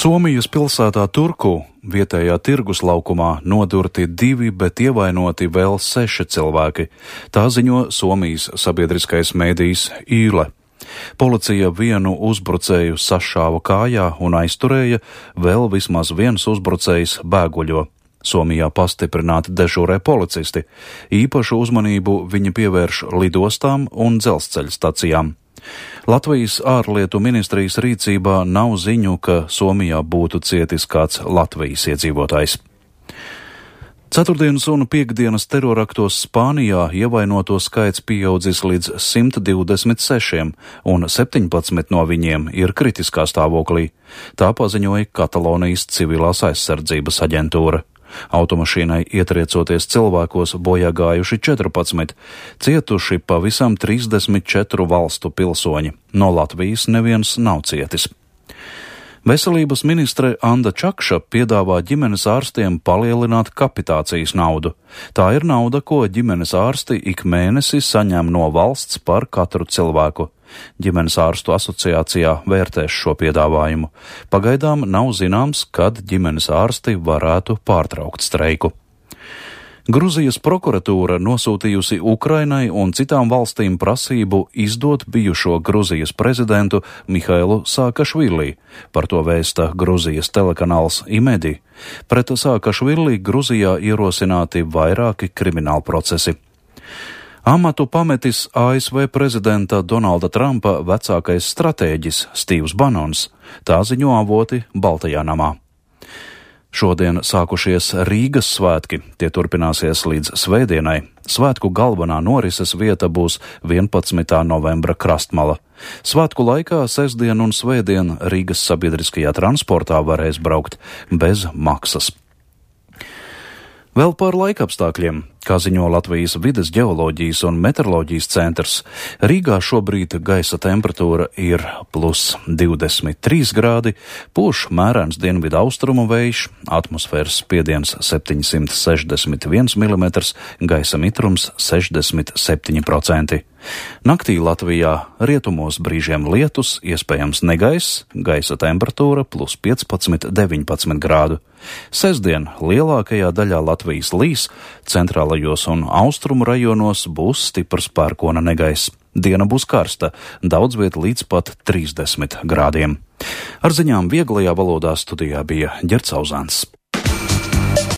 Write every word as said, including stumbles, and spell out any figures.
Somijas pilsētā Turku vietējā tirgus laukumā nodurti divi, bet ievainoti vēl seši cilvēki. Tā ziņo Somijas sabiedriskais mēdījis Yle. Policija vienu uzbrucēju sašāva kājā un aizturēja, vēl vismaz viens uzbrucējs bēguļo. Somijā pastiprināti dežūrē policisti. Īpašu uzmanību viņi pievērš lidostām un dzelzceļa stacijām. Latvijas ārlietu ministrijas rīcībā nav ziņu, ka Somijā būtu cietis kāds Latvijas iedzīvotājs. Ceturtdienas un piektdienas teroraktos Spānijā ievainoto skaits pieaudzis līdz simt divdesmit sešiem, un septiņpadsmit no viņiem ir kritiskā stāvoklī. Tā paziņoja Katalonijas civilās aizsardzības aģentūra. Automašīnai ietriecoties cilvēkos bojā gājuši četrpadsmit, cietuši pavisam trīsdesmit četru valstu pilsoņi. No Latvijas neviens nav cietis. Veselības ministre Anda Čakša piedāvā ģimenes ārstiem palielināt kapitācijas naudu. Tā ir nauda, ko ģimenes ārsti ik mēnesi saņem no valsts par katru cilvēku. Ģimenes ārstu asociācijā vērtēs šo piedāvājumu. Pagaidām nav zināms, kad ģimenes ārsti varētu pārtraukt streiku. Gruzijas prokuratūra nosūtījusi Ukrainai un citām valstīm prasību izdot bijušo Gruzijas prezidentu Mihailu Saakašvili. Par to vēsta Gruzijas telekanāls Imedi. Pret Saakašvili Gruzijā ierosināti vairāki krimināli procesi. Amatu pametis A S V prezidenta Donalda Trumpa vecākais stratēģis Stīvs Banons. Tā ziņo avoti Baltajā namā. Šodien sākušies Rīgas svētki, tie turpināsies līdz svētdienai. Svētku galvenā norises vieta būs vienpadsmitā novembra Krastmala. Svētku laikā sestdien un svētdien Rīgas sabiedriskajā transportā varēs braukt bez maksas. Vēl par laikapstākļiem. Kā ziņo Latvijas vides ģeoloģijas un meteoroloģijas centrs, Rīgā šobrīd gaisa temperatūra ir plus divdesmit trīs grādi, pūš mērens dienvidu austrumu vējš, atmosfēras spiediens septiņsimt sešdesmit viens milimetrs, gaisa mitrums sešdesmit septiņi procenti. Naktī Latvijā rietumos brīžiem lietus, iespējams negaiss, gaisa temperatūra plus piecpadsmit deviņpadsmit grādu. Sestdien lielākajā daļā Latvijas līs, centrālajos un austrumu rajonos būs stiprs pērkona negaiss. Diena būs karsta, daudz viet līdz pat trīsdesmit grādiem. Ar ziņām vieglajā valodā studijā bija Ģerts Auzāns.